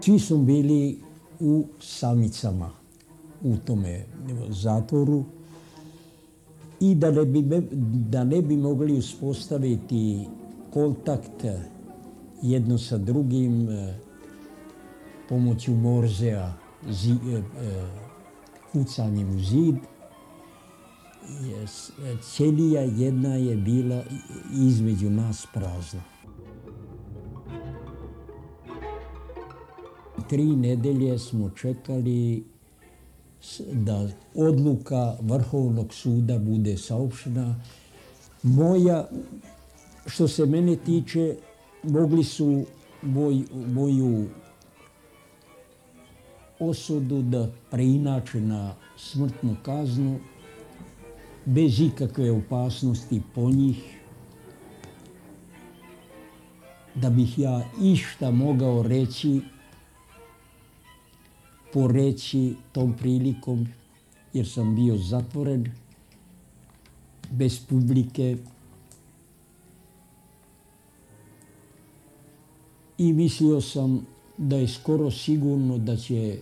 Svi smo bili u samicama u tome zatvoru i da ne bi mogli uspostaviti kontakt jedno sa drugim pomoću morzea, kucanjem u zid, ćelija jedna je bila između nas prazna. 3 nedelje smo čekali da odluka Vrhovnog suda bude saopštena. Što se mene tiče, mogli su moju osudu da preinače na smrtnu kaznu bez ikakve opasnosti po njih, da bih ja išta mogao reći, poreći tom prilikom, jer sam bio zatvoren, bez publike. I mislio sam da je skoro sigurno da će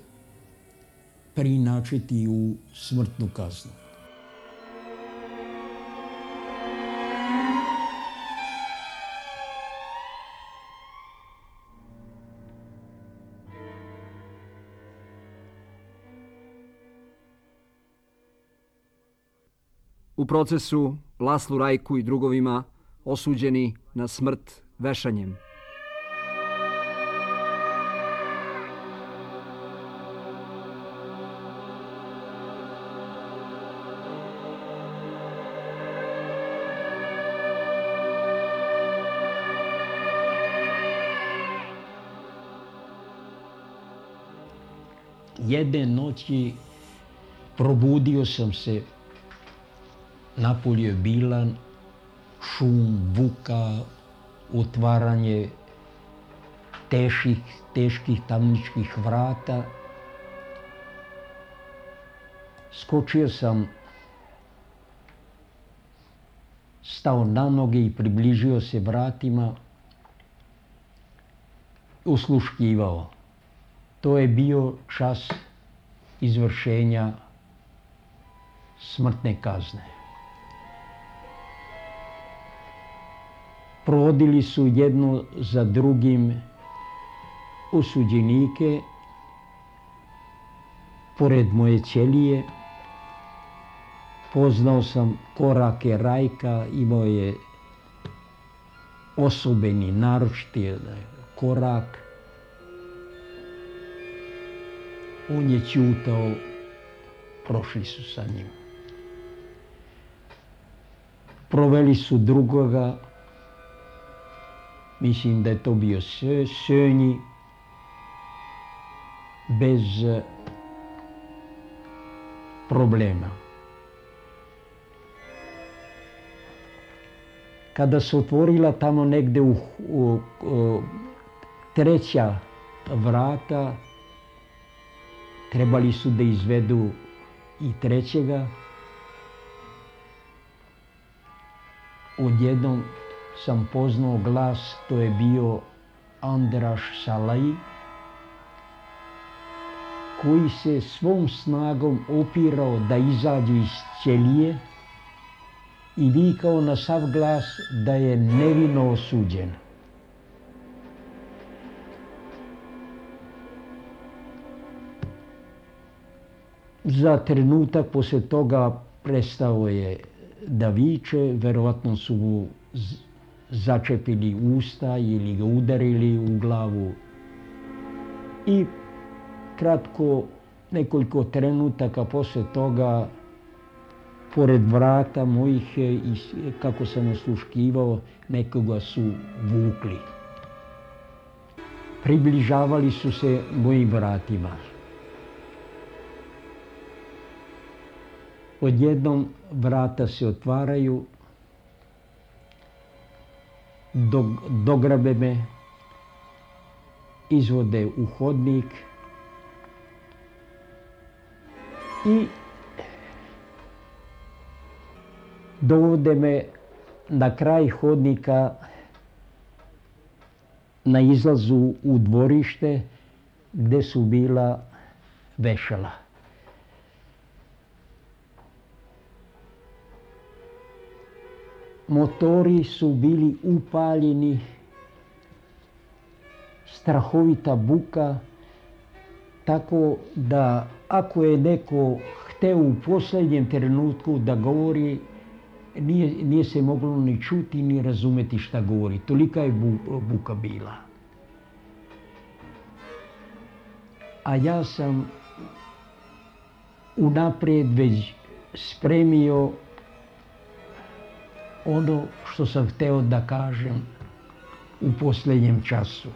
preinačiti u smrtnu kaznu. U procesu Laslu Rajku i drugovima osuđeni na smrt vešanjem. Jedne noći probudio sam se, napolje je bilan, šum, buka, otvaranje teških tamničkih vrata. Skočio sam, stao na noge i približio se vratima, osluškivao. To je bio čas izvršenja smrtne kazne. Provodili su jedno za drugim osuđenike pored moje ćelije. Poznao sam korake Rajka, imao je osobeni, naročiti korak. On je ćutao, prošli su sa njim. Proveli su drugoga, mislim da je to bio Sönji, bez problema. Kada se otvorila tamo negde u treća vrata, trebali su da izvedu i trećega. Odjednom sam poznao glas, to je bio Andraš Salaji, koji se svom snagom opirao da izađe iz ćelije i vikao na sav glas da je nevino osuđen. Za trenutak posle toga prestao je da viče, verovatno su mu začepili usta ili ga udarili u glavu. I kratko, nekoliko trenutaka posle toga, pored vrata mojih, kako sam osluškivao, nekoga su vukli. Približavali su se mojim vratima. Odjednom vrata se otvaraju, dograbe me, izvode u hodnik i dovode me na kraj hodnika, na izlazu u dvorište, gde su bila vešala. Motori su bili upaljeni, strahovita buka, tako da ako je neko hteo u posljednjem trenutku da govori, nije se moglo ni čuti ni razumeti šta govori. Tolika je buka bila. A ja sam unaprijed već spremio ono što sam hteo da kažem u posljednjem času.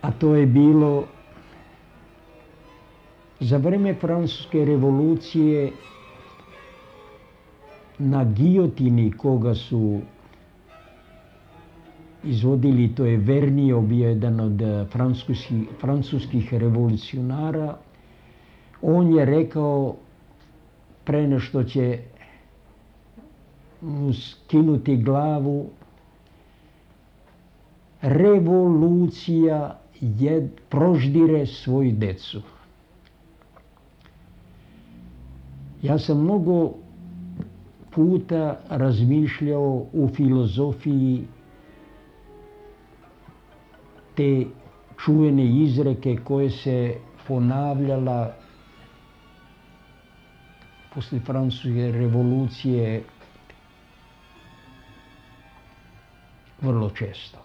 A to je bilo za vreme Francuske revolucije na gijotini koga su izvodili, to je Vernier, bio jedan od francuskih revolucionara. On je rekao pre nešto će mu skinuti glavu: revolucija proždire svoju decu. Ja sam mnogo puta razmišljao u filozofiji te čuvene izreke koje se ponavljala posle Francuske revolucije vrlo često.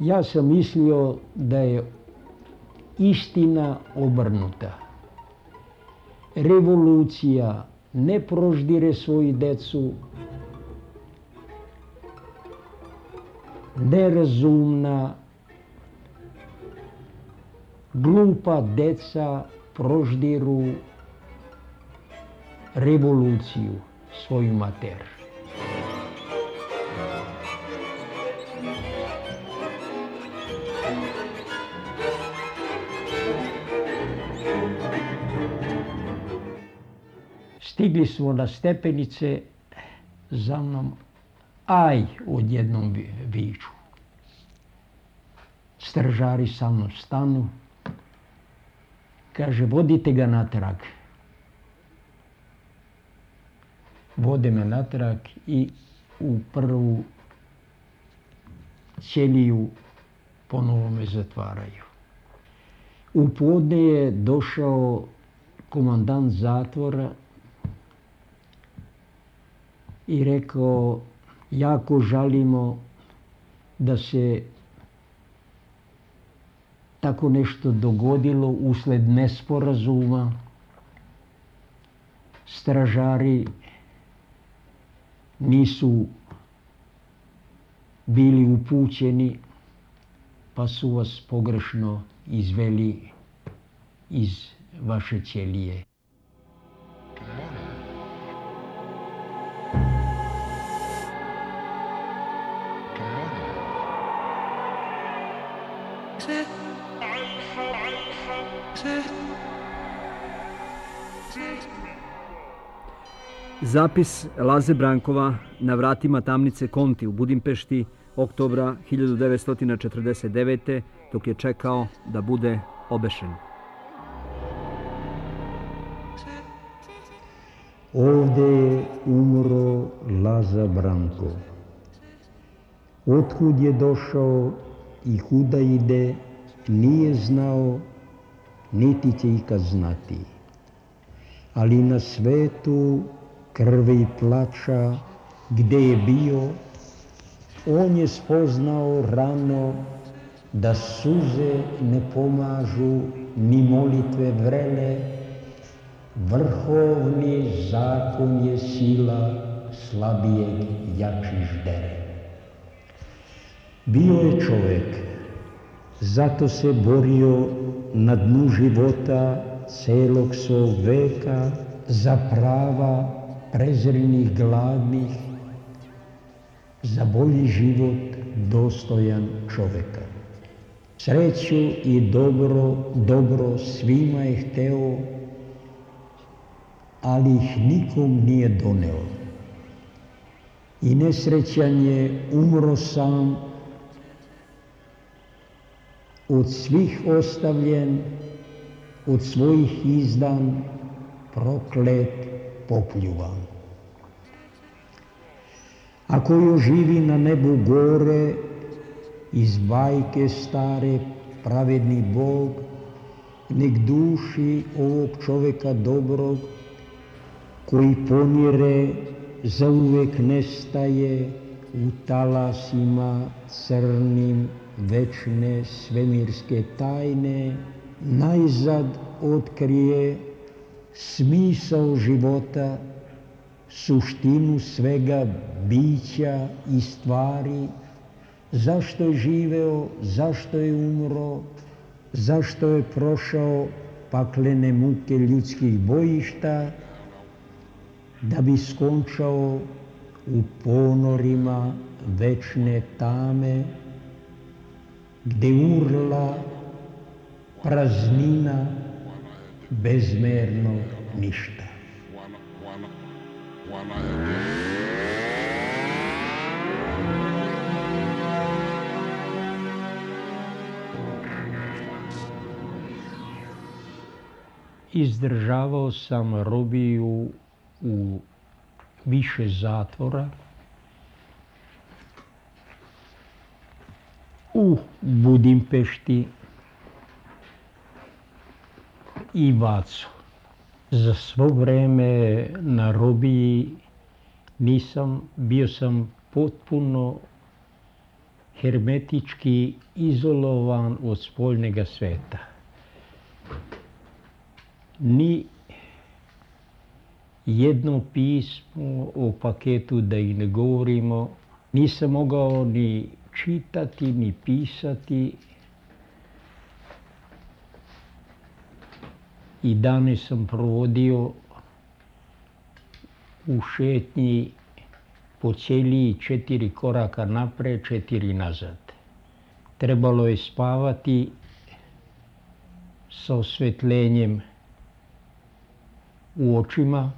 Ja sam mislio da je istina obrnuta. Revolucija ne proždire svoju decu, nerazumna, glupa deca proždiru revoluciju, svoju mater. Stigli smo na stepenice, za mnom aj odjednom viču. Stražari sa mnom stanu, kaže: vodite ga natrag. Vode me natrag i u prvu ćeliju ponovo me zatvaraju. U podne je došao komandant zatvora i rekao: jako žalimo da se tako nešto dogodilo usled nesporazuma. Stražari nisu bili upućeni, pa su vas pogrešno izveli iz vaše ćelije. Zapis Laze Brankova na vratima tamnice Konti u Budimpešti oktobra 1949. dok je čekao da bude obešen. Ovde je umro Laza Branko. Otkud je došao i kuda ide, nije znao, niti će ikad znati. Ali na svetu krve i plača, gde je bio, on je spoznao rano da suze ne pomažu ni molitve vrele. Vrhovni zakon je sila, slabijeg jači ždere. Bio je čovek, zato se borio na dnu života celog svog veka za prava prezrenih gladnih, za bolji život dostojan čoveka. Sreću i dobro svima je hteo, ali ih nikom nije doneo. I nesrećan je umro sam od svih ostavljen, od svojih izdan, proklet, popljuvan. Ako još živi na nebu gore, iz bajke stare, pravedni Bog, nek duši ovog čoveka dobrog, koji ponire, zauvek nestaje u talasima crnim večne svemirske tajne, najzad otkrije smisao života, suštinu svega bića i stvari, zašto je živeo, zašto je umro, zašto je prošao paklene muke ljudskih bojišta, da bi skončao u ponorima večne tame, gde urla praznina bezmernog ništa. Izdržavao sam robiju u više zatvora, u Budimpešti i Vacu. Za svo vreme na robiji bio sam potpuno hermetički izolovan od spoljnega sveta. Ni jedno pismo o paketu, da i ne govorimo, nisam mogao ni čitati, ni pisati. I dane sam provodio u šetnji po ćeliji 4 koraka napred, 4 nazad. Trebalo je spavati sa osvetljenjem u očima,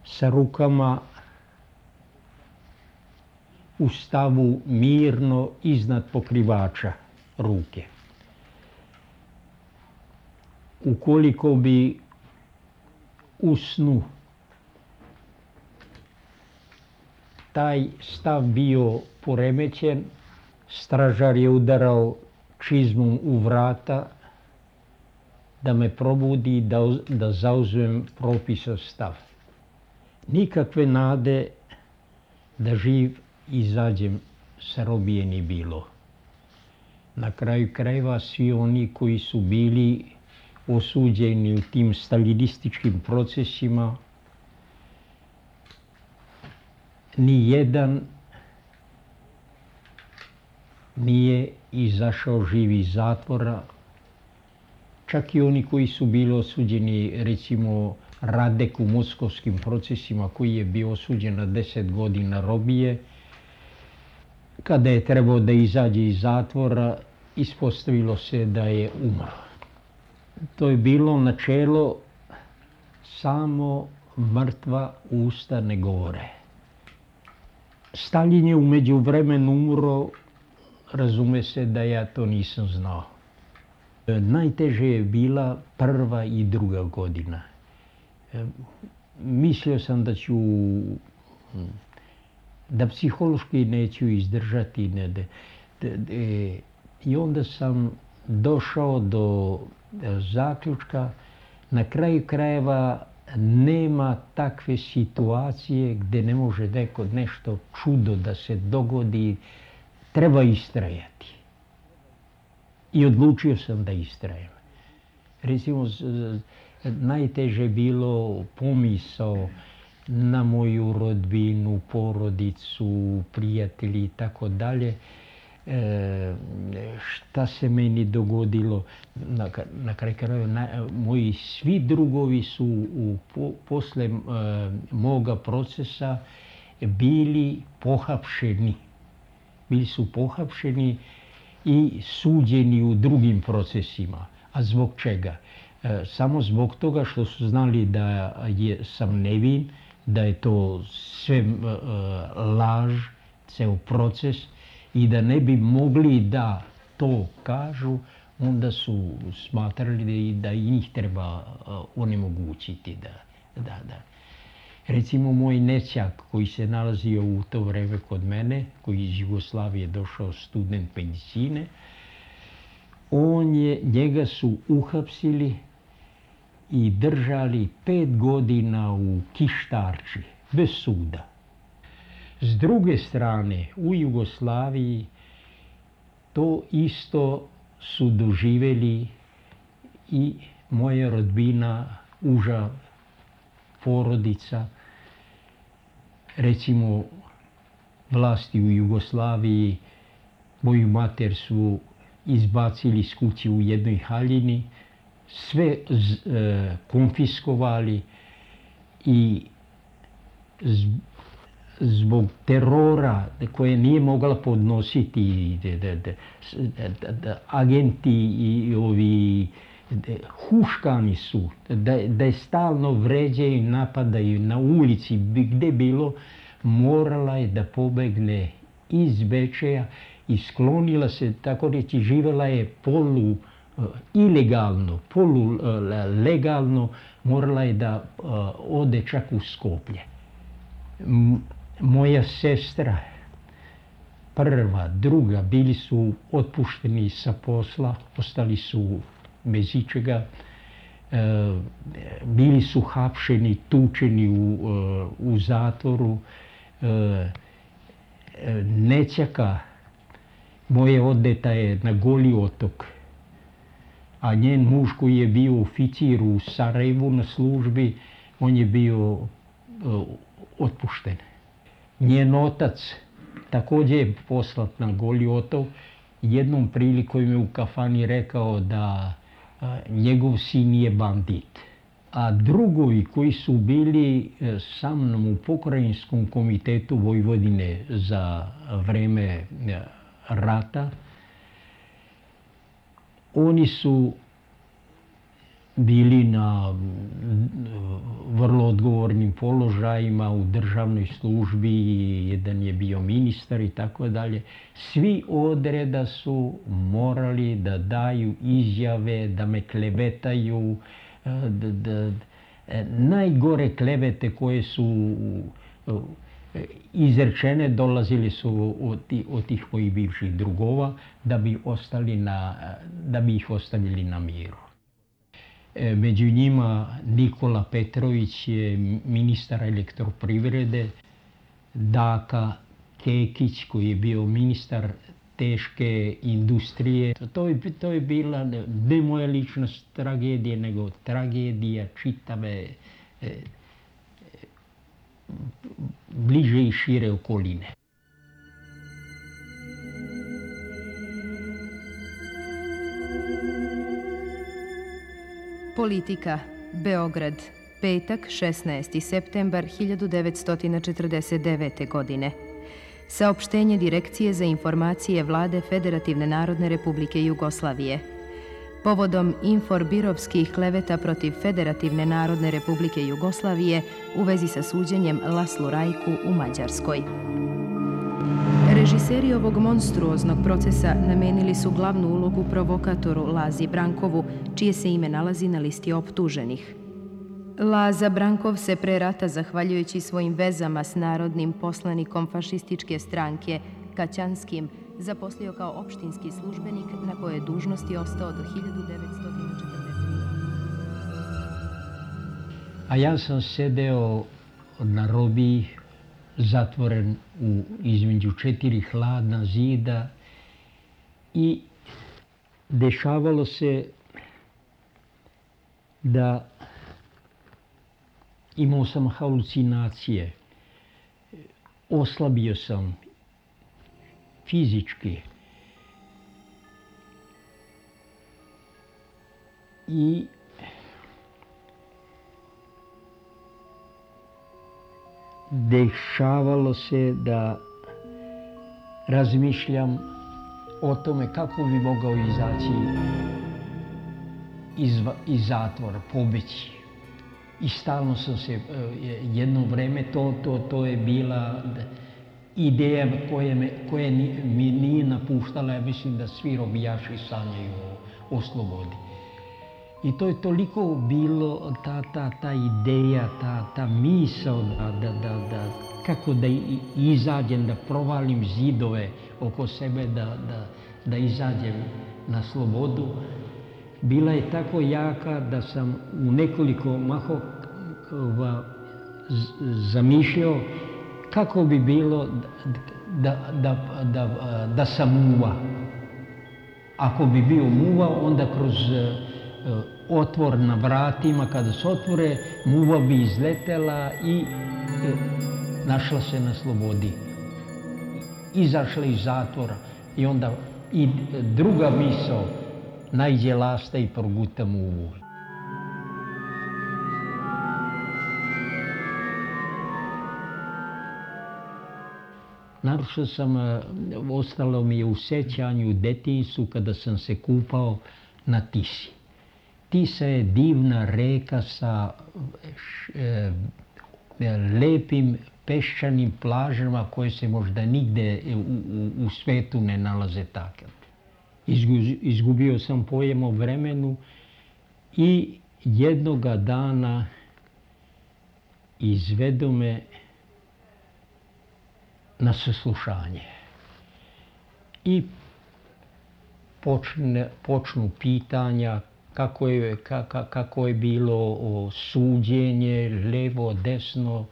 sa rukama u stavu mirno iznad pokrivača ruke. Ukoliko bi u snu taj stav bio poremećen, stražar je udarao čizmom u vrata da me probudi, da zauzmem propisan stav. Nikakve nade da živ izađem sa robije ni bilo. Na kraju krajeva svi oni koji su bili osuđeni u tim stalinističkim procesima, ni jedan nije izašao živ iz zatvora. Čak i oni koji su bili osuđeni, recimo Radek u moskovskim procesima, koji je bio osuđen na 10 godina robije, kada je trebao da izađe iz zatvora, ispostavilo se da je umro. To je bilo načelo samo mrtva usta ne govore. Stalin je u međuvremenu umro, razume se da ja to nisam znao. Najteže je bila 1. i 2. godina. Mislio sam da psihološki neću izdržati. I onda sam došao do zaključka, na kraju krajeva nema takve situacije gde ne može nešto čudo da se dogodi, treba istrajati. I odlučio sam da istrajem. Recimo, najteže bilo pomisao na moju rodbinu, porodicu, prijatelji i tako dalje. Šta se meni dogodilo. Na kraju krajeva, moji svi drugovi su posle moga procesa bili pohapšeni. Bili su pohapšeni i suđeni u drugim procesima. A zbog čega? Samo zbog toga što su znali da sam nevin, da je to sve laž, ceo proces, i da ne bi mogli da to kažu, onda su smatrali da i njih treba onemogućiti da. Recimo, moj nećak koji se nalazio u to vreme kod mene, koji iz Jugoslavije došao student medicine, njega su uhapsili i držali 5 godina u Kištarči, bez suda. S druge strane, u Jugoslaviji to isto su doživjeli i moja rodbina, uža porodica. Recimo, vlasti u Jugoslaviji moju mater su izbacili iz kuće u jednoj haljini, sve konfiskovali i zbog terora koje nije mogla podnositi agenti i ovi huškani su, da je stalno vređaju, napadaju na ulici, gde bilo, morala je da pobegne iz Bečeja i sklonila se, tako reći, živjela je ilegalno, legalno, morala je da ode čak u Skoplje. Moja sestra, prva, druga, bili su otpušteni sa posla, ostali su bez ičega, bili su hapšeni, tučeni u zatvoru. Nećaka moje odeta je na Goli otok, a njen muž koji je bio oficir u Sarajevu na službi, on je bio otpušten. Njen otac također je poslat na Goli otok. Jednom prilikom je u kafani rekao da njegov sin je bandit. A drugovi koji su bili sa mnom u Pokrajinskom komitetu Vojvodine za vreme rata, oni su bili na vrlo odgovornim položajima u državnoj službi, jedan je bio ministar i tako dalje. Svi odreda su morali da daju izjave, da me klevetaju, najgore klevete koje su izrečene dolazili su od tih mojih bivših drugova da bi ih ostavili na miru. Među njima Nikola Petrović je ministar elektroprivrede, Daka Kekić koji je bio ministar teške industrije. To je bila ne moja lična tragedija, nego tragedija čitave bliže i šire okoline. Politika, Beograd, petak, 16. septembar 1949. godine. Saopštenje Direkcije za informacije Vlade Federativne narodne Republike Jugoslavije. Povodom inforbirovskih kleveta protiv Federativne narodne Republike Jugoslavije u vezi sa suđenjem Laslu Rajku u Mađarskoj. Režiseri ovog monstruoznog procesa namenili su glavnu ulogu provokatoru Lazi Brankovu, čije se ime nalazi na listi optuženih. Laza Brankov se pre rata, zahvaljujući svojim vezama s narodnim poslanikom fašističke stranke Kaćanskim, zaposlio kao opštinski službenik na koje dužnosti ostao do 1940. A ja sam sedeo na robiji, zatvoren između 4 hladna zida i dešavalo se da imao sam halucinacije, oslabio sam fizički i dešavalo se da razmišljam o tome kako bi mogao izaći iz zatvora, pobeći. I stalno sam se, jedno vreme to je bila ideja koje mi nije napuštala, ja mislim da svi robijaši sanjaju o slobodi. I to je toliko bilo ta ideja, ta misao kako da izađem, da provalim zidove oko sebe, da izađem na slobodu. Bila je tako jaka da sam u nekoliko mahova zamišljao kako bi bilo da sam muva. Ako bi bio muva, onda kroz otvor na vratima, kada se otvore, muva bi izletela i našla se na slobodi. Izašla iz zatvora i onda i druga misao, najđe lasta i proguta muvu. Naročito ostalo mi je u sećanju u detinjstvu kada sam se kupao na Tisi. Tisa je divna reka sa lepim peščanim plažama koje se možda nigde u svetu ne nalaze takve. Izgubio sam pojem o vremenu i jednoga dana izvedu me na saslušanje. I počnu pitanja kako je bilo suđenje, levo, desno.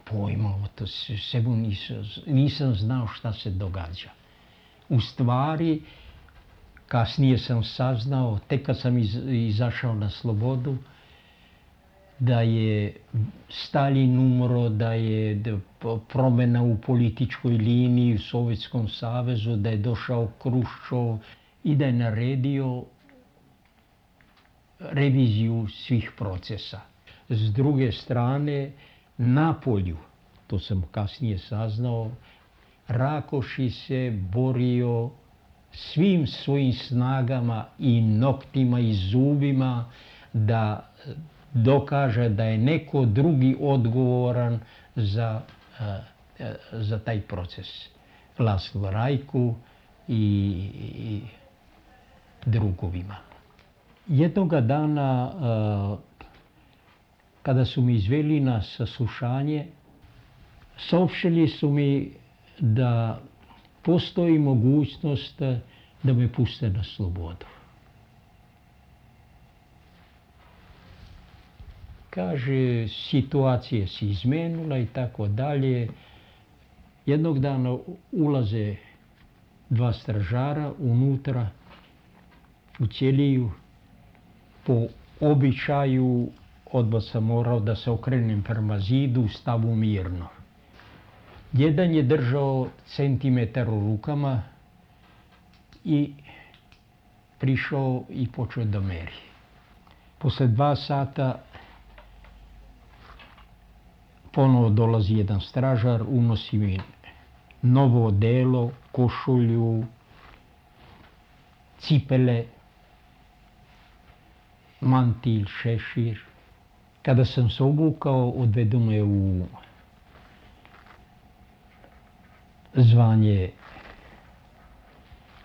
Pojma, to sebu nisam znao šta se događa. U stvari, kasnije sam saznao, tek kad sam izašao na slobodu, da je Stalin umro, da je promjena u političkoj liniji u Sovjetskom savezu, da je došao Kruščov i da je naredio reviziju svih procesa. S druge strane, na polju, to sam kasnije saznao, Rakoši se borio svim svojim snagama i noktima i zubima da dokaže da je neko drugi odgovoran za taj proces. Laslo Rajku i drugovima. Jednoga dana, kada su mi izveli na saslušanje, saopštili su mi da postoji mogućnost da me puste na slobodu. Kaže, situacija se izmenila i tako dalje. Jednog dana ulaze dva stražara unutra u ćeliju. Po običaju odmah sam morao da se okrenem prema zidu, stavu mirno. Jedan je držao centimetar u rukama i prišao i počeo da meri. Posle 2 sata ponovo dolazi jedan stražar, unosi mi novo odelo, košulju, cipele, mantil, šešir. Kada sam se obukao, odvedu me u zvanje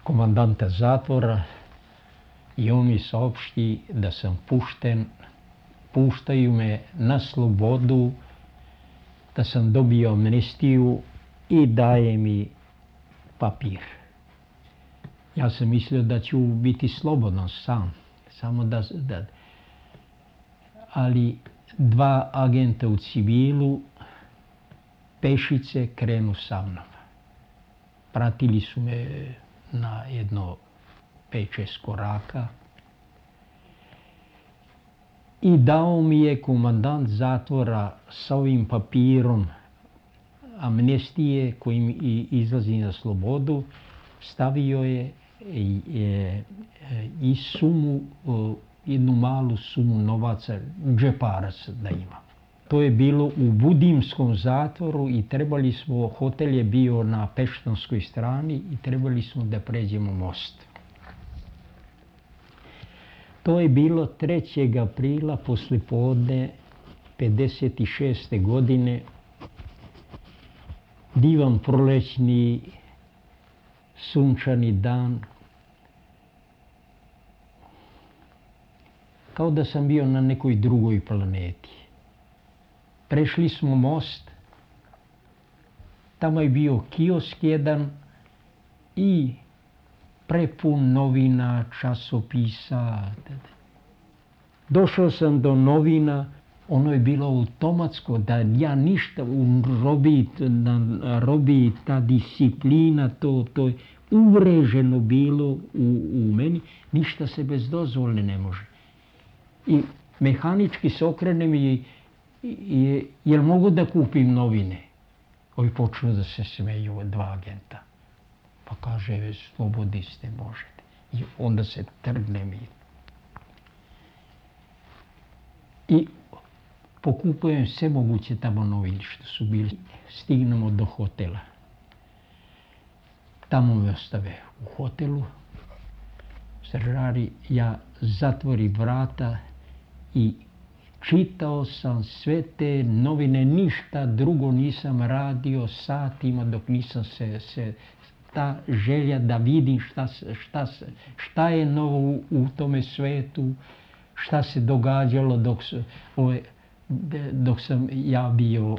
komandanta zatvora i on mi saopšti da sam pušten, puštaju me na slobodu, da sam dobio amnestiju i daje mi papir. Ja sam mislio da ću biti slobodan sam, samo da ali 2 agenta u civilu pešice krenu sa mnom. Pratili su me na jedno 5-6 koraka i dao mi je komandant zatvora sa ovim papirom amnestije kojim izlazi na slobodu, stavio je i sumu, jednu malu sumu novaca, džeparac da ima. To je bilo u Budimskom zatvoru i trebali smo, hotel je bio na Peštanskoj strani i trebali smo da pređemo most. To je bilo 3. aprila poslijepodne 56. godine. divan prolećni sunčani dan. Kao da sam bio na nekoj drugoj planeti. Prešli smo most, tamo je bio kiosk jedan i prepun novina, časopisa. Došao sam do novina, ono je bilo automatsko, da ja ništa u robiji ta disciplina, to je uvreženo bilo u meni, ništa se bez dozvole ne može. I mehanički se okrenem i jel mogu da kupim novine? Ovi počnu da se smeju, dva agenta. Pa kaže, slobodni ste, možete. I onda se trgnem i pokupujem sve moguće tamo novine što su bili. Stignemo do hotela. Tamo me ostave u hotelu. Stražari, ja zatvori vrata i čitao sam sve te novine, ništa drugo nisam radio satima dok nisam se ta želja da vidim šta je novo u tome svetu, šta se događalo dok sam ja bio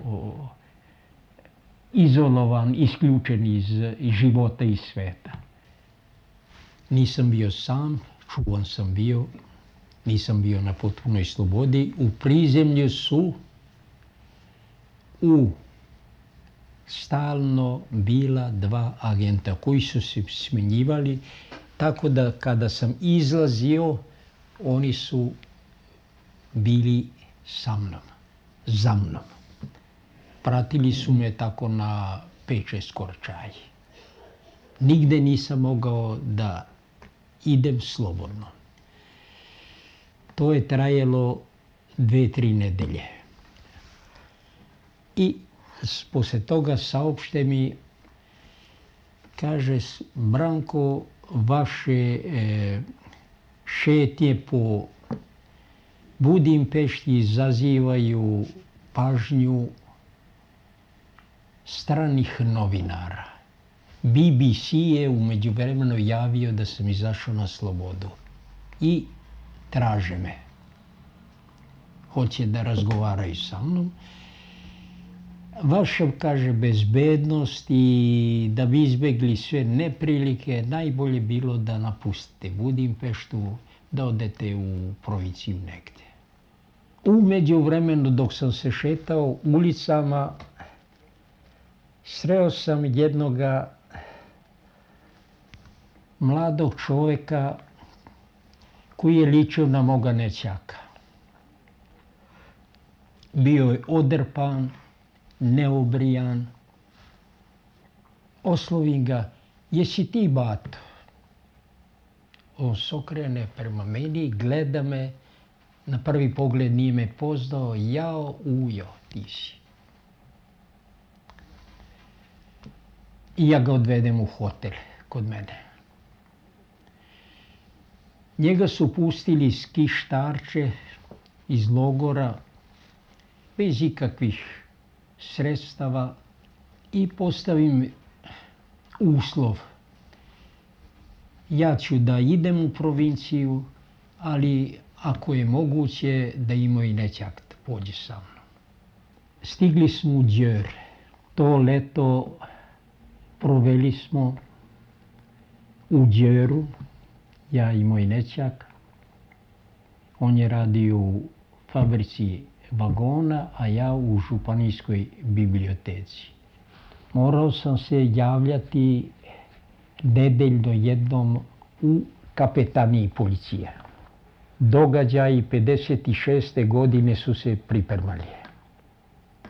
izolovan, isključen iz života i sveta. Nisam bio sam, čuvan sam bio, nisam bio na potpunoj slobodi. U prizemlju su stalno bila dva agenta koji su se smenjivali, tako da kada sam izlazio, oni su bili sa mnom, za mnom. Pratili su me tako na 5-6 korčaji. Nigde nisam mogao da idem slobodno. To je trajalo 2-3 nedelje. I posle toga saopšte mi, kaže, Branko, vaše šetnje po Budimpešti izazivaju pažnju stranih novinara. BBC je u međuvremenu javio da sam izašao na slobodu i traže me. Hoće da razgovaraju sa mnom. Vaša, kaže, bezbednost i da bi izbjegli sve neprilike, najbolje bilo da napustite Budimpeštu, da odete u provinciju negde. U međuvremenu, dok sam se šetao ulicama, sreo sam jednoga mladog čoveka koji je ličio na moga nećaka. Bio je odrpan, neobrijan. Oslovim ga, jesi ti bato? On se okrene prema meni, gleda me, na prvi pogled nije me poznao, jao, ujo, ti si. I ja ga odvedem u hotel kod mene. Njega su pustili iz Kištarče, iz logora, bez ikakvih sredstava i postavim uslov. Ja ću da idem u provinciju, ali ako je moguće da i moj nećak pođe sa mnom. Stigli smo u Đer. To leto proveli smo u Đeru, ja i moj nećak. On je radio u fabrici vagona, a ja u županijskoj biblioteci. Morao sam se javljati nedeljno jednom u kapetaniji policije. Događaji 56. godine su se pripremali.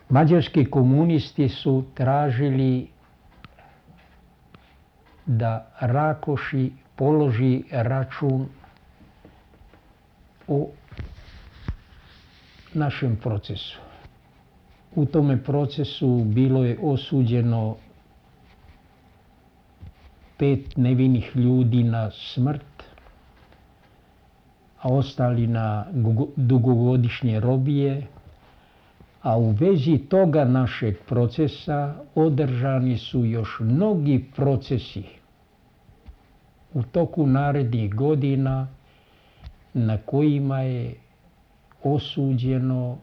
Mađarski komunisti su tražili da Rakoši položi račun o našem procesu. U tome procesu bilo je osuđeno 5 nevinih ljudi na smrt, a ostali na dugogodišnje robije, A u vezi toga našeg procesa održani su još mnogi procesi u toku narednih godina na kojima je osuđeno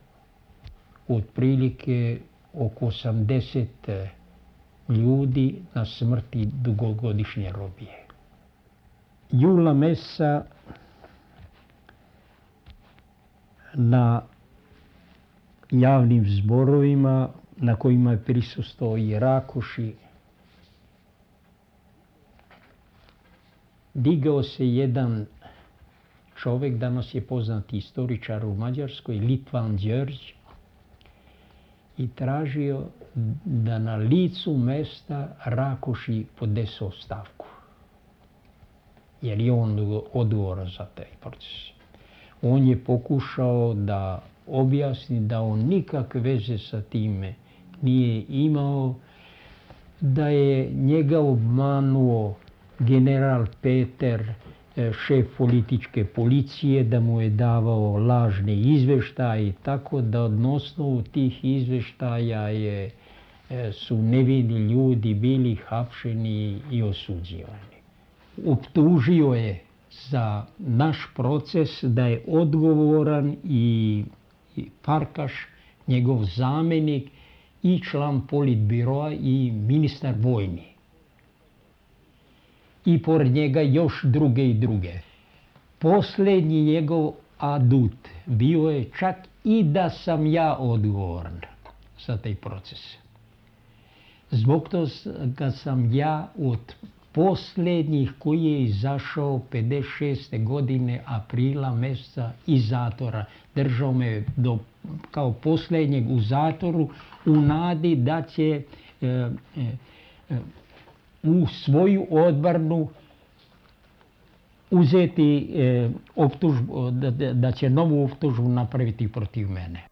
otprilike oko 80 ljudi na smrti dugogodišnje robije. Jula meseca na javnim zborovima na kojima je prisustvovao i Rakoši, digao se jedan čovjek, danas je poznati istoričar u Mađarskoj, Litvan Đörđ, i tražio da na licu mesta Rakoši podnesu ostavku, jer je on odgovoran za taj proces. On je pokušao da objasni da on nikakve veze sa time nije imao, da je njega obmanuo general Peter, šef političke policije, da mu je davao lažne izveštaje, tako da na osnovu tih izveštaja su nevini ljudi bili hapšeni i osuđivani. Optužio je za naš proces da je odgovoran i Farkaš, njegov zamjenik, i član politbiroa i ministar vojni. I pored njega još druge i druge. Posljednji njegov adut bio je čak i da sam ja odgovoran za taj proces. Zbog toga sam ja od posljednjih koji je izašao 56. godine aprila mjeseca iz zatvora. Držao me kao posljednjeg u zatvoru u nadi da će u svoju odbranu uzeti optužbu, da će novu optužbu napraviti protiv mene.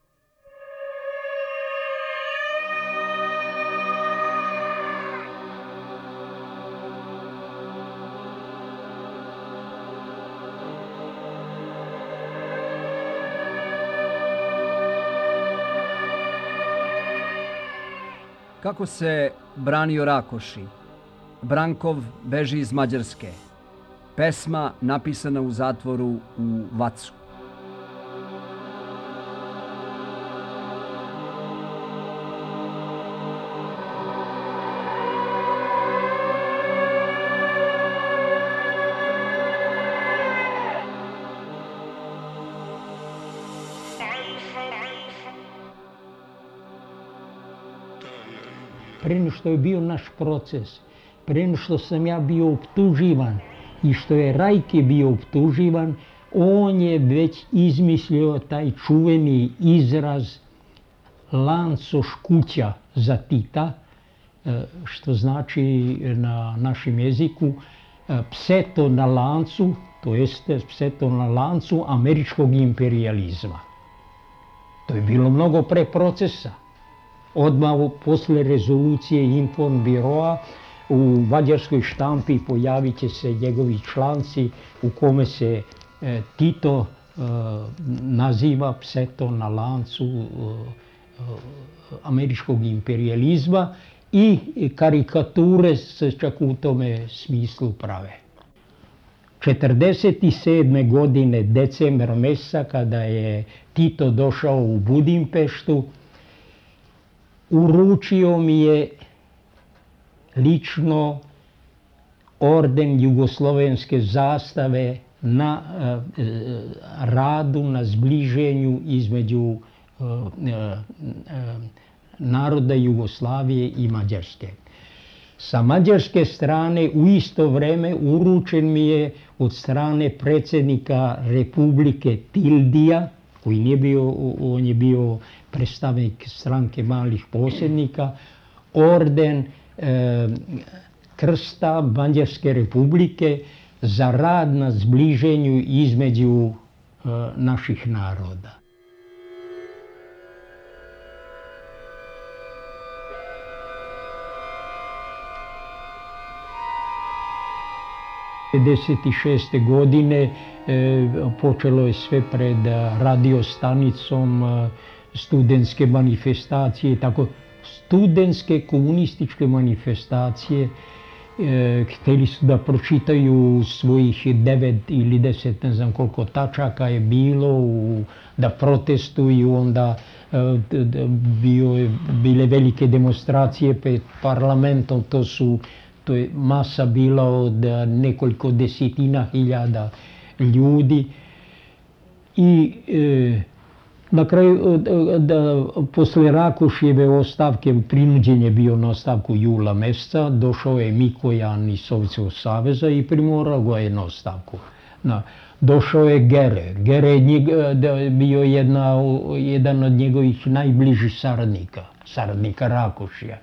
Kako se branio Rakoši? Brankov beži iz Mađarske. Pesma napisana u zatvoru u Vacu. Prije što je bio naš proces, prije što sam ja bio optuživan i što je Rajke bio optuživan, on je već izmislio taj čuveni izraz lancoškuća za Tita, što znači na našem jeziku pseto na lancu, to jeste pseto na lancu američkog imperijalizma. To je bilo mnogo pre procesa. Odmah posle rezolucije Informbiroa u mađarskoj štampi pojavit će se njegovi članci u kome se Tito naziva pseto na lancu američkog imperijalizma i karikature se čak u tome smislu prave. 1947. godine, decembra mjeseca, kada je Tito došao u Budimpeštu, uručio mi je lično orden jugoslovenske zastave na radu, na zbliženju između naroda Jugoslavije i Mađarske. Sa mađarske strane u isto vrijeme uručen mi je od strane predsjednika Republike Tildija, koji nije bio, on je bio predstavnik stranke malih posjednika, orden krsta Mađarske republike za rad na zbliženju između naših naroda. '56. godine počelo je sve pred radiostanicom studentske manifestacije, tako studentske komunističke manifestacije. Htjeli su da pročitaju svojih 9 ili 10, ne znam koliko tačaka je bilo, da protestuju, onda bile velike demonstracije pred parlamentom, to je masa bila od nekoliko desetina hiljada ljudi. I na kraju, posle Rakošjeve ostavke, prinuđen je bio na ostavku jula meseca, došao je Mikojan iz Sovjetskog saveza i primorao ga je na ostavku. Došao je Gere. Gere je bio jedan od njegovih najbližih saradnika Rakošija.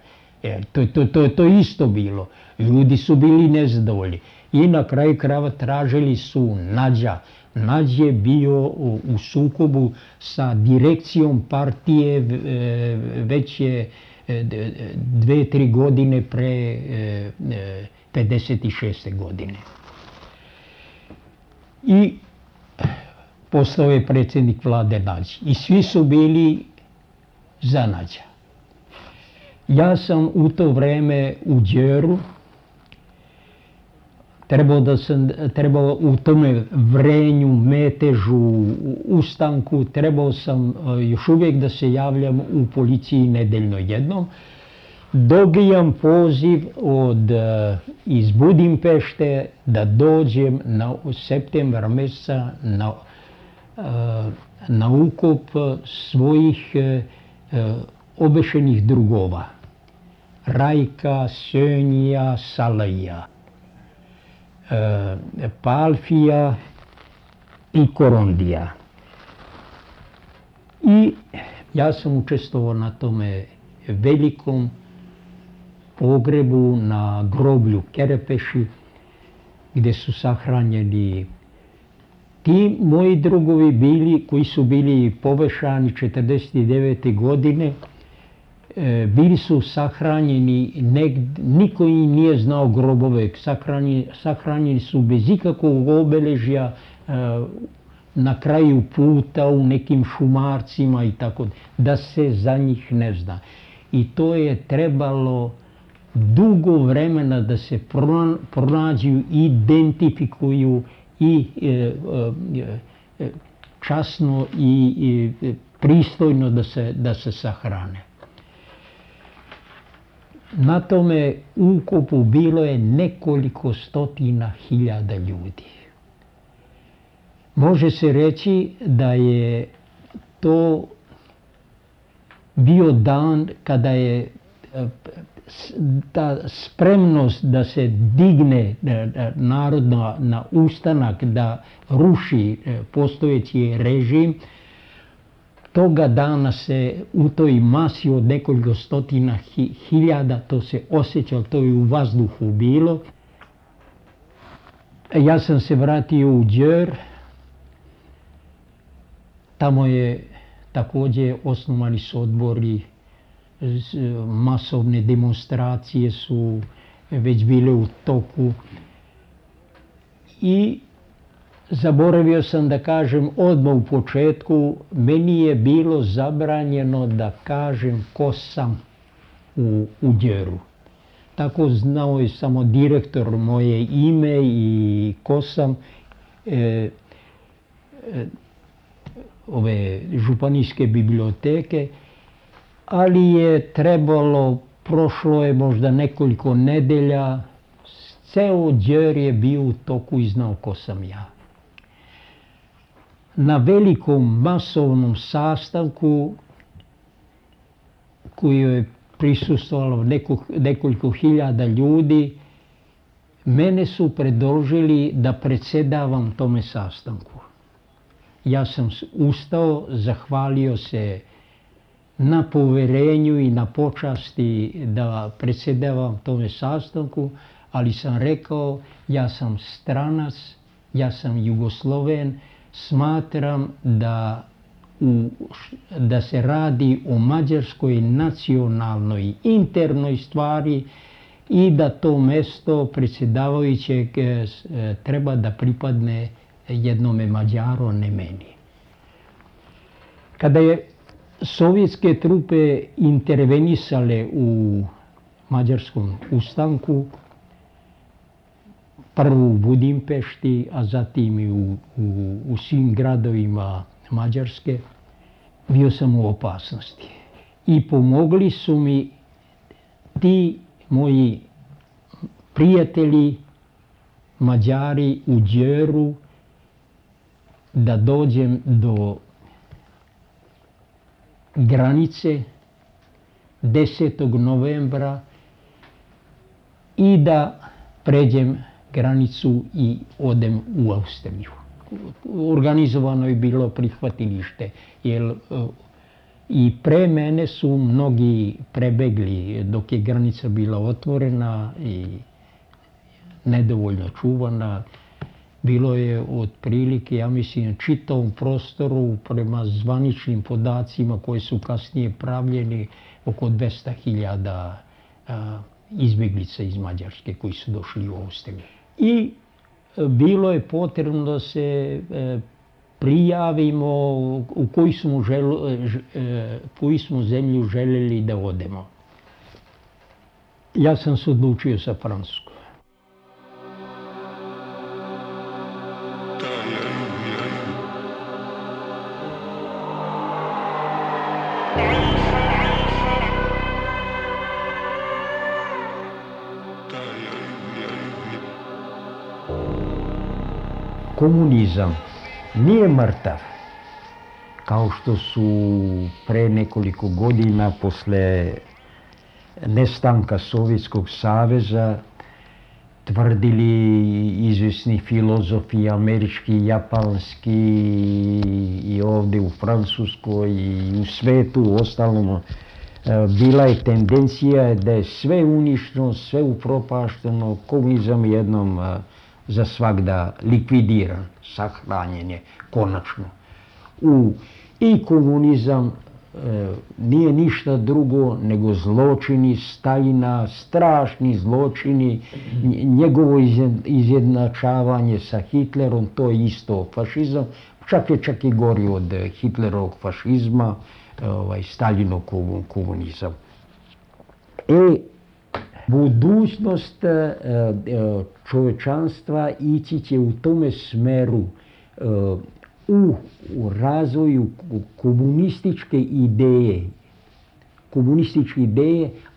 To je isto bilo. Ljudi su bili nezadovoljni. I na kraju krajeva tražili su Nađa. Nađ je bio u sukobu sa direkcijom partije već je 2-3 godine pre 56. godine. I postao je predsjednik vlade Nađ. I svi su bili za Nađa. Ja sam u to vreme u Đeru, trebao u tome vrenju, metežu, ustanku, trebao sam još uvijek da se javljam u policiji nedeljno jednom. Dobijam poziv iz Budimpešte da dođem u septembar mjeseca na ukop svojih obešenih drugova. Rajka, Sönja, Salaja, Palfija i Korondija. I ja sam učestvovao na tome velikom pogrebu na groblju Kerepeši, gdje su sahranjeni ti moji drugovi koji su bili povešani 1949. godine. Bili su sahranjeni, niko im nije znao grobove, sahranjeni su bez ikakvog obeležja na kraju puta, u nekim šumarcima i tako, da se za njih ne zna. I to je trebalo dugo vremena da se pronađu, identifikuju i časno i pristojno da se sahrane. Na tome ukopu bilo je nekoliko stotina hiljada ljudi. Može se reći da je to bio dan kada je ta spremnost da se digne narod na ustanak, da ruši postojeći režim. Toga dana se u toj masi od nekoliko stotina hiljada, to se osjećalo, to je u vazduhu bilo. Ja sam se vratio u Đer, tamo je također osnovani su odbori, masovne demonstracije su već bile u toku. I zaboravio sam da kažem odmah u početku, meni je bilo zabranjeno da kažem ko sam u Đeru. Tako znao je samo direktor moje ime i ko sam. Ove županijske biblioteke, ali je trebalo, prošlo je možda nekoliko nedelja, ceo Đer je bio u toku i znao ko sam ja. Na velikom masovnom sastanku koji je prisustvovalo nekoliko hiljada ljudi, mene su predložili da predsjedavam tome sastanku. Ja sam ustao, zahvalio se na poverenju i na počasti da predsjedavam tome sastanku, ali sam rekao, ja sam stranac, ja sam Jugosloven, smatram da se radi o mađarskoj nacionalnoj internoj stvari i da to mesto predsjedavajućeg treba da pripadne jednome Mađaru, ne meni. Kada je sovjetske trupe intervenisale u mađarskom ustanku, prvo u Budimpešti, a zatim i u svim gradovima Mađarske, bio sam u opasnosti. I pomogli su mi ti moji prijatelji Mađari u Đeru da dođem do granice 10. novembra i da pređem granicu i odem u Austriju. Organizovano je bilo prihvatilište, jer i pre mene su mnogi prebegli dok je granica bila otvorena i nedovoljno čuvana. Bilo je otprilike, ja mislim, čitavom prostoru prema zvaničnim podacima koji su kasnije pravljeni oko 200.000 izbjeglica iz Mađarske koji su došli u Austriju. I bilo je potrebno da se prijavimo u koju smo zemlju željeli da odemo. Ja sam se odlučio za Francusku. Komunizam nije mrtav, kao što su pre nekoliko godina posle nestanka Sovjetskog saveza tvrdili izvjesni filozofi američki, japanski i ovdje u Francuskoj i u svetu. Uostalom, bila je tendencija da je sve uništeno, sve upropašteno, komunizam jednom za svagda likvidiran, sahranjen je konačno. I komunizam nije ništa drugo nego zločini Staljina, strašni zločini, njegovo izjednačavanje sa Hitlerom, to je isto fašizam, čak i gori od Hitlerovog fašizma, Staljinov komunizam. Budućnost čovečanstva ići će u tome smeru u razvoju komunističke ideje,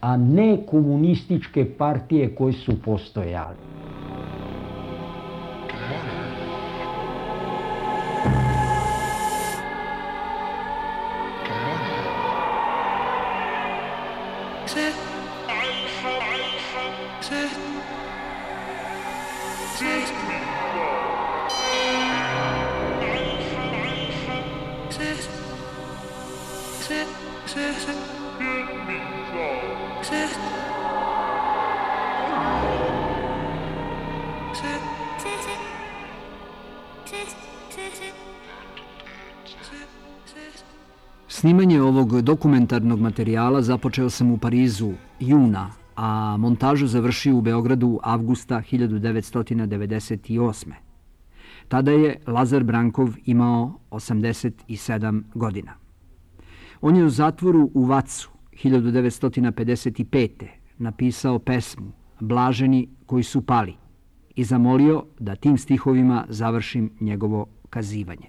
a ne komunističke partije koje su postojale. Snimanje ovog dokumentarnog materijala započeo sam u Parizu juna, a montažu završio u Beogradu avgusta 1998. Tada je Lazar Brankov imao 87 godina. On je u zatvoru u Vacu 1955. napisao pesmu Blaženi koji su pali i zamolio da tim stihovima završim njegovo kazivanje.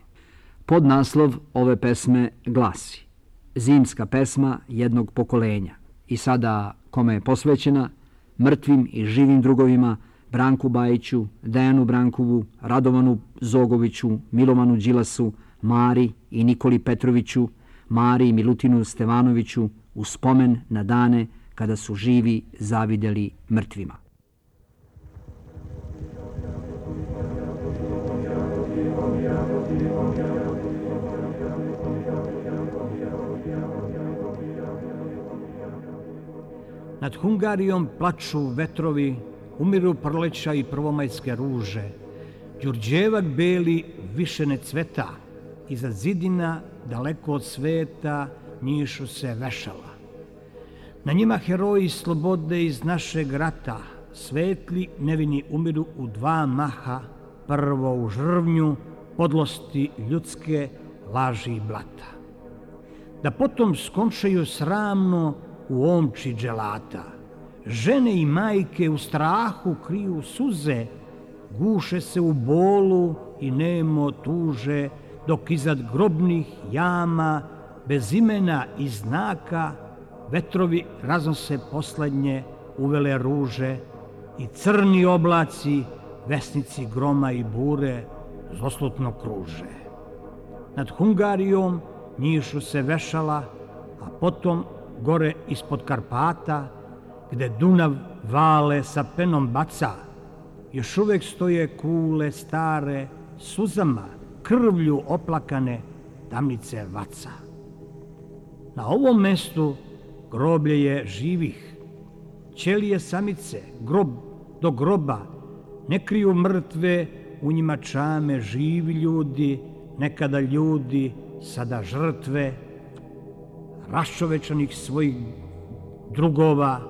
Podnaslov ove pesme glasi: Zimska pesma jednog pokolenja. I sada kome je posvećena? Mrtvim i živim drugovima, Branku Bajiću, Dejanu Brankovu, Radovanu Zogoviću, Milovanu Đilasu, Mari i Nikoli Petroviću, Mari i Milutinu Stevanoviću, u spomen na dane kada su živi zavideli mrtvima. Nad Hungarijom plaču vetrovi, umiru proleća i prvomajske ruže. Đurđevac beli više ne cveta, iza zidina, daleko od sveta, njišu se vešala. Na njima heroji slobode iz našeg rata, svetli nevini umiru u dva maha, prvo u žrvnju, podlosti ljudske, laži i blata. da potom skončaju sramno u omči dželata. Žene i majke u strahu kriju suze, guše se u bolu i nemo tuže, dok iznad grobnih jama, bez imena i znaka, vetrovi raznose poslednje uvele ruže i crni oblaci, vesnici groma i bure, zloslutno kruže. Nad Hungarijom njišu se vešala, a potom gore ispod Karpata, gde Dunav vale sa penom baca, još uvek stoje kule stare, suzama, krvlju oplakane, tamnice vaca. Na ovom mestu groblje je živih, ćelije samice, grob do groba, ne kriju mrtve, u njima čame živi ljudi, nekada ljudi, sada žrtve, raščovečanih svojih drugova,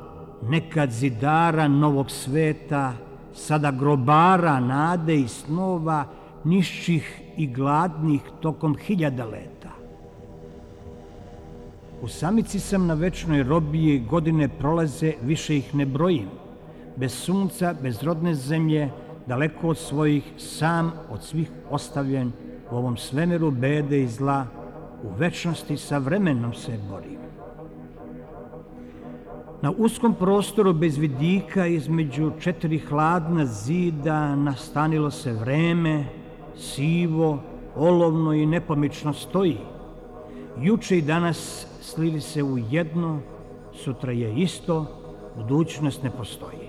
nekad zidara novog sveta, sada grobara nade i snova, nišćih i gladnih tokom hiljada leta. U samici sam na večnoj robiji, godine prolaze, više ih ne brojim. Bez sunca, bez rodne zemlje, daleko od svojih, sam od svih ostavljen, u ovom svemiru bede i zla, u večnosti sa vremenom se borim. Na uskom prostoru bez vidika, između 4 hladna zida, nastanilo se vreme, sivo, olovno i nepomično stoji. Juče i danas slili se u jedno, sutra je isto, budućnost ne postoji.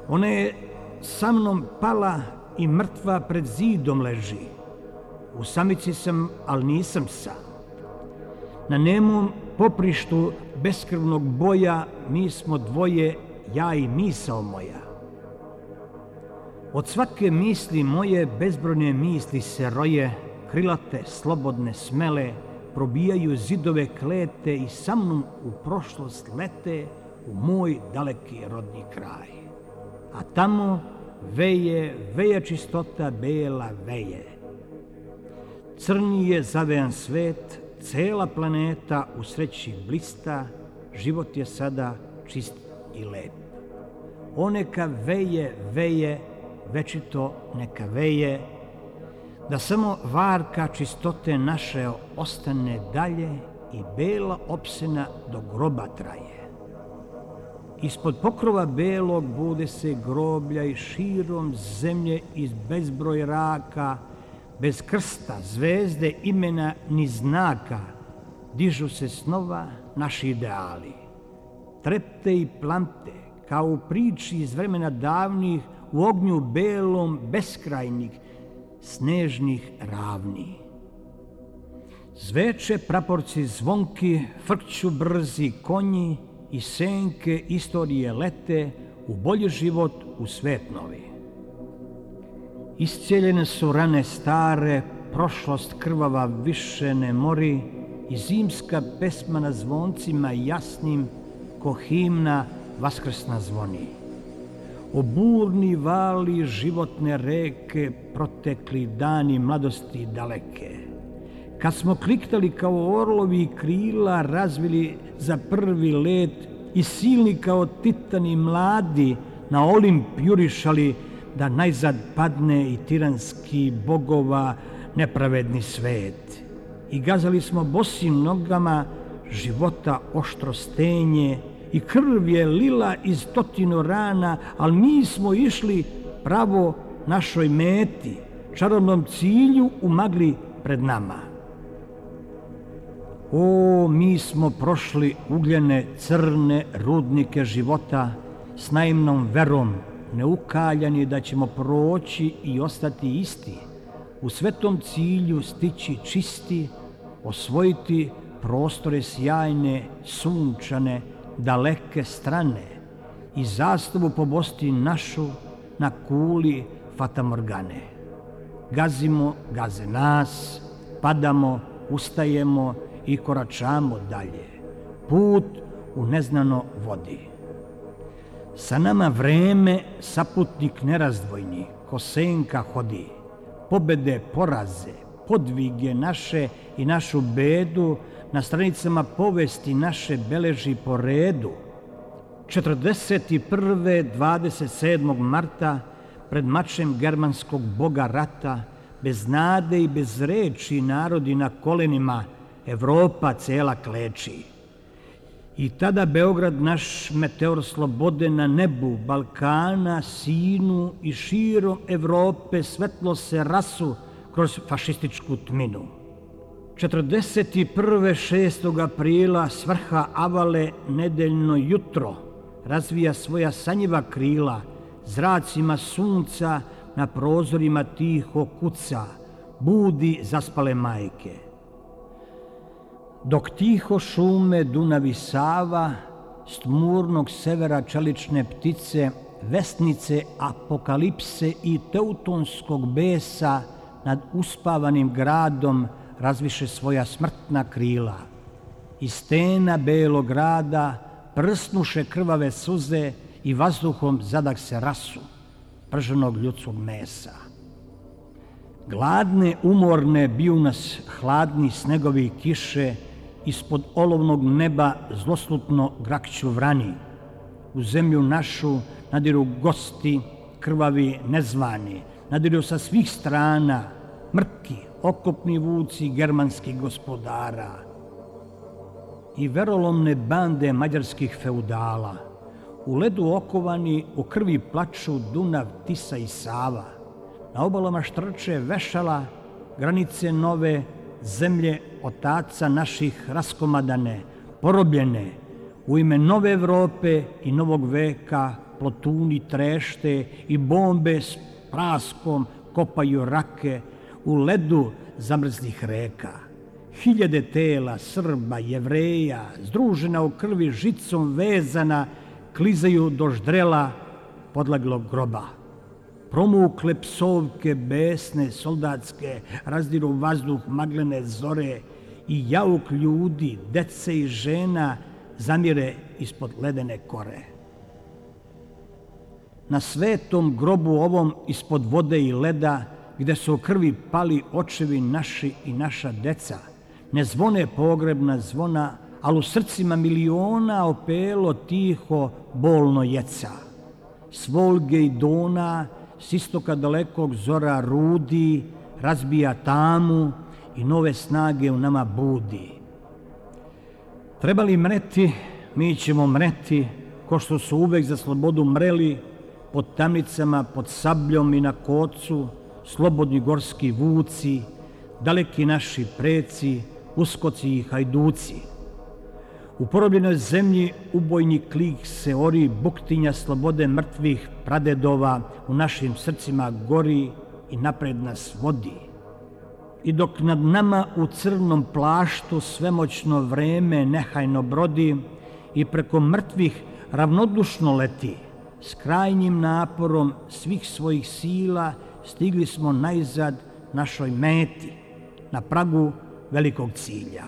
Ona je sa mnom pala i mrtva pred zidom leži. U samici sam, ali nisam sam. Na nemom poprištu beskrvnog boja mi smo dvoje, ja i misao moja. Od svake misli moje bezbrojne misli se roje, krilate, slobodne, smele, probijaju zidove klete i sa mnom u prošlost lete u moj daleki rodni kraj. A tamo veje čistota bela veje. Crni je zavejan svet, cela planeta u sreći blista, život je sada čist i lep. O neka veje, večito neka veje, da samo varka čistote naše ostane dalje i bela opsena do groba traje. Ispod pokrova belog bude se groblja i širom zemlje iz bezbroj raka, bez krsta, zvezde, imena ni znaka, dižu se snova naši ideali. Trepte i plamte, kao u priči iz vremena davnih, u ognju belom beskrajnih, snežnih ravni. Zveče praporci zvonki, frkću brzi konji i senke istorije lete u bolji život, u svet novi. Iscijeljene su rane stare, prošlost krvava više ne mori i zimska pesma na zvoncima jasnim ko himna vaskrsna zvoni. O burni vali životne reke, protekli dani mladosti daleke. Kad smo kliktali kao orlovi krila, razvili za prvi let i silni kao titani mladi na Olimp jurišali, da najzad padne i tiranski bogova nepravedni svet. I gazali smo bosim nogama života oštro stenje i krv je lila iz 100 rana, ali mi smo išli pravo našoj meti, čarobnom cilju u magli pred nama. O, mi smo prošli ugljene, crne rudnike života s naivnom verom, neukaljani da ćemo proći i ostati isti, u svetom cilju stići čisti, osvojiti prostore sjajne, sunčane, daleke strane i zastavu pobosti našu na kuli fatamorgane. Gazimo, gaze nas, padamo, ustajemo i koračamo dalje. Put u neznano vodi. Sa nama vreme, saputnik nerazdvojni, ko senka hodi. Pobede, poraze, podvige naše i našu bedu na stranicama povesti naše beleži po redu. 41. 27. marta pred mačem germanskog boga rata, bez nade i bez reči narodi na kolenima, Evropa cela kleči. I tada Beograd naš meteor slobode na nebu Balkana, Sinu i širom Evrope svetlo se rasu kroz fašističku tminu. 41. 6. aprila svrha Avale nedeljno jutro razvija svoja sanjiva krila, zracima sunca na prozorima tiho kuca, budi zaspale majke. Dok tiho šume Dunav i Sava, s tmurnog severa čelične ptice, vesnice apokalipse i teutonskog besa nad uspavanim gradom razviše svoja smrtna krila. Iz stena belog grada prsnuše krvave suze i vazduhom zadah se rasu prženog ljudskog mesa. Gladne, umorne biju nas hladni snegovi i kiše, ispod olovnog neba zloslutno grakću vrani. U zemlju našu nadiru gosti, krvavi, nezvani, nadiru sa svih strana, mrki, okopni vuci germanskih gospodara i verolomne bande mađarskih feudala. U ledu okovani, u krvi plaču Dunav, Tisa i Sava. Na obalama štrče vešala, granice nove, zemlje otaca naših raskomadane, porobljene. U ime nove Evrope i novog veka plotuni trešte i bombe s praskom kopaju rake u ledu zamrzlih reka. Hiljade tela Srba, Jevreja, združena u krvi žicom vezana, klizaju do ždrela podleglog groba. Promukle psovke besne, soldatske, razdiru vazduh maglene zore i jauk ljudi, dece i žena zamire ispod ledene kore. Na svetom grobu ovom ispod vode i leda, gde su u krvi pali očevi naši i naša deca, ne zvone pogrebna zvona, ali u srcima miliona opelo tiho bolno jeca. S Volge i Dona, s istoka dalekog zora rudi, razbija tamu i nove snage u nama budi. Treba li mreti, mi ćemo mreti, ko što su uvek za slobodu mreli, pod tamnicama, pod sabljom i na kocu, slobodni gorski vuci, daleki naši preci, uskoci i hajduci. U porobljenoj zemlji ubojni klik se ori, buktinja slobode mrtvih pradedova u našim srcima gori i napred nas vodi. I dok nad nama u crnom plaštu svemoćno vreme nehajno brodi i preko mrtvih ravnodušno leti, s krajnjim naporom svih svojih sila stigli smo najzad našoj meti, na pragu velikog cilja.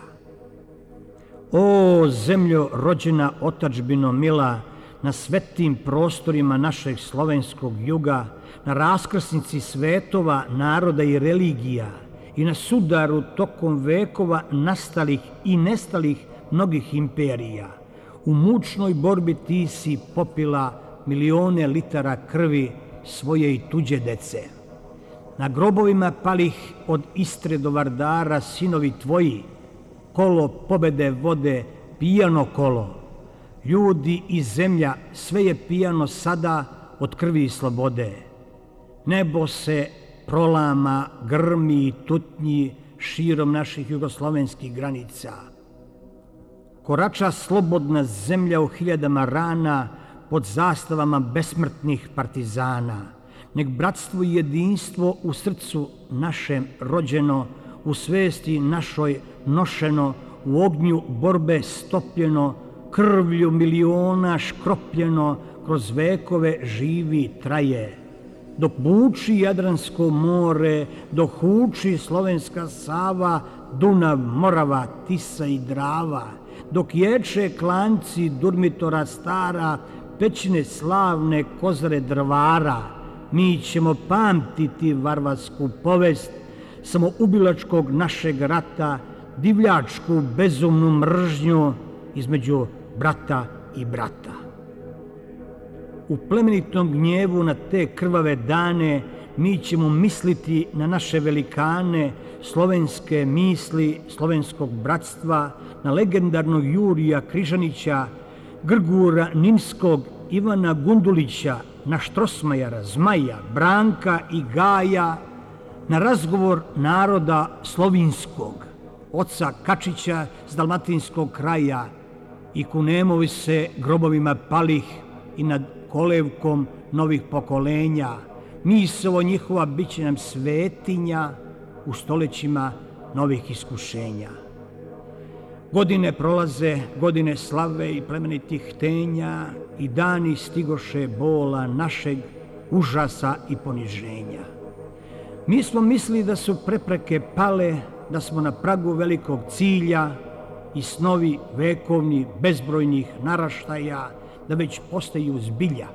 O zemljo rođena otadžbino mila, na svetim prostorima našeg slovenskog juga, na raskrsnici svetova, naroda i religija i na sudaru tokom vekova nastalih i nestalih mnogih imperija, u mučnoj borbi ti si popila milione litara krvi svoje i tuđe dece. Na grobovima palih od Istre do Vardara sinovi tvoji, kolo pobede vode pijano kolo. Ljudi i zemlja, sve je pijano sada od krvi i slobode. Nebo se prolama, grmi i tutnji širom naših jugoslovenskih granica. Korača slobodna zemlja u hiljadama rana pod zastavama besmrtnih partizana. Nek bratstvo i jedinstvo u srcu našem rođeno, u svesti našoj nošeno, u ognju borbe stopljeno, krvlju miliona škropljeno, kroz vekove živi traje. Dok buči Jadransko more, dok huči slovenska Sava, Dunav, Morava, Tisa i Drava, dok ječe klanci Durmitora stara, pećine slavne Kozare Drvara, mi ćemo pamtiti varvarsku povest samoubilačkog našeg rata, divljačku bezumnu mržnju između brata i brata. U plemenitom gnjevu na te krvave dane mi ćemo misliti na naše velikane, slovenske misli, slovenskog bratstva, na legendarnog Jurija Križanića, Grgura Ninskog, Ivana Gundulića, na Štrosmajera, Zmaja, Branka i Gaja, na razgovor naroda slovinskog, oca Kačića s dalmatinskog kraja i kunemovi se grobovima palih i nad kolevkom novih pokolenja. Misovo njihova bit će nam svetinja u stolećima novih iskušenja. Godine prolaze, godine slave i plemenitih htenja i dani stigoše bola našeg, užasa i poniženja. Mi smo mislili da su prepreke pale, da smo na pragu velikog cilja i snovi vekovni bezbrojnih naraštaja da već postaju zbilja.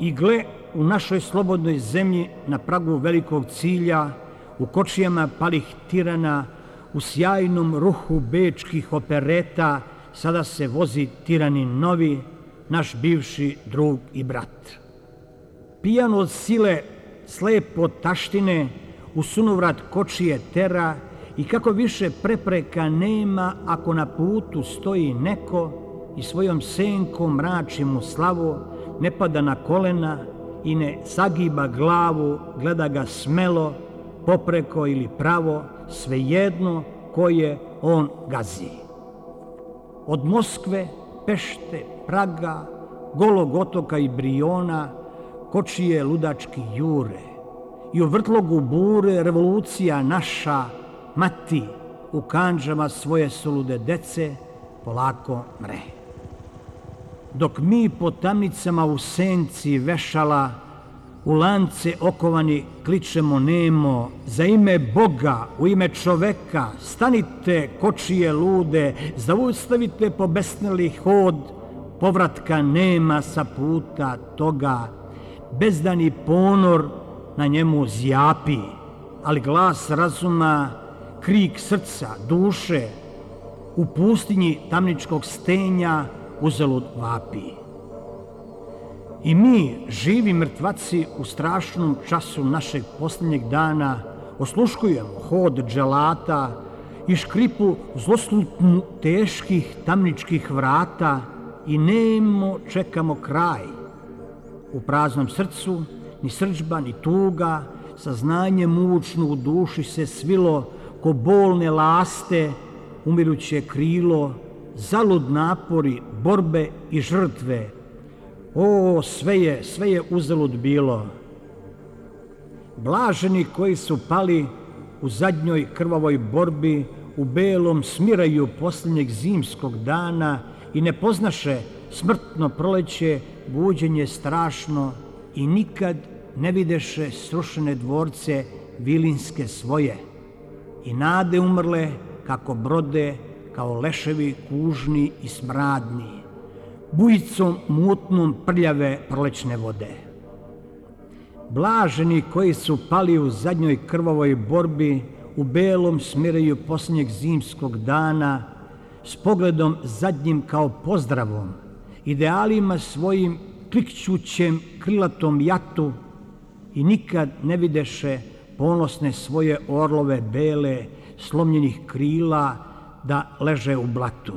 I gle, u našoj slobodnoj zemlji na pragu velikog cilja, u kočijama palih tirana, u sjajnom ruhu bečkih opereta, sada se vozi tiranin novi, naš bivši drug i brat. Pijan od sile, slep od taštine, u sunovrat kočije tera i kako više prepreka nema ako na putu stoji neko i svojom senkom mrači mu slavu, ne pada na kolena i ne sagiba glavu, gleda ga smelo, popreko ili pravo, svejedno koje on gazi. Od Moskve, Pešte, Praga, Golog otoka i Briona, kočije ludački jure. I u vrtlogu bure revolucija naša, mati, u kandžama svoje sulude dece, polako mre. Dok mi po tamnicama u senci vešala, u lance okovani kličemo nemo, za ime Boga, u ime čoveka, stanite kočije lude, zaustavite pobesneli hod, povratka nema sa puta toga, bezdani ponor na njemu zjapi, ali glas razuma, krik srca, duše, u pustinji tamničkog stenja uzalud vapi. I mi, živi mrtvaci, u strašnom času našeg posljednjeg dana osluškujemo hod dželata i škripu zloslutnu teških tamničkih vrata i nemo čekamo kraj. U praznom srcu ni srdžba ni tuga, saznanje mučno u duši se svilo ko bolne laste, umiruće krilo, zalud napori, borbe i žrtve. O, sve je uzalud bilo. Blaženi koji su pali u zadnjoj krvavoj borbi, u belom smiraju posljednjeg zimskog dana i ne poznaše smrtno proleće, buđenje strašno i nikad ne videše srušene dvorce vilinske svoje i nade umrle kako brode, kao leševi kužni i smradni, bujicom mutnom prljave prolećne vode. Blaženi koji su pali u zadnjoj krvavoj borbi, u belom smiraju posljednjeg zimskog dana, s pogledom zadnjim kao pozdravom, idealima svojim klikćućem krilatom jatu i nikad ne videše ponosne svoje orlove bele, slomljenih krila da leže u blatu.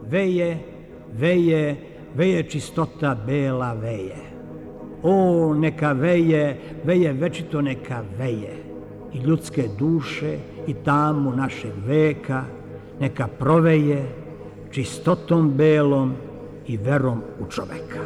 Veje, veje, veje čistota bela veje. O, neka veje, veje večito neka veje. I ljudske duše i tamu našeg veka neka proveje čistotom belom i verom u čoveka.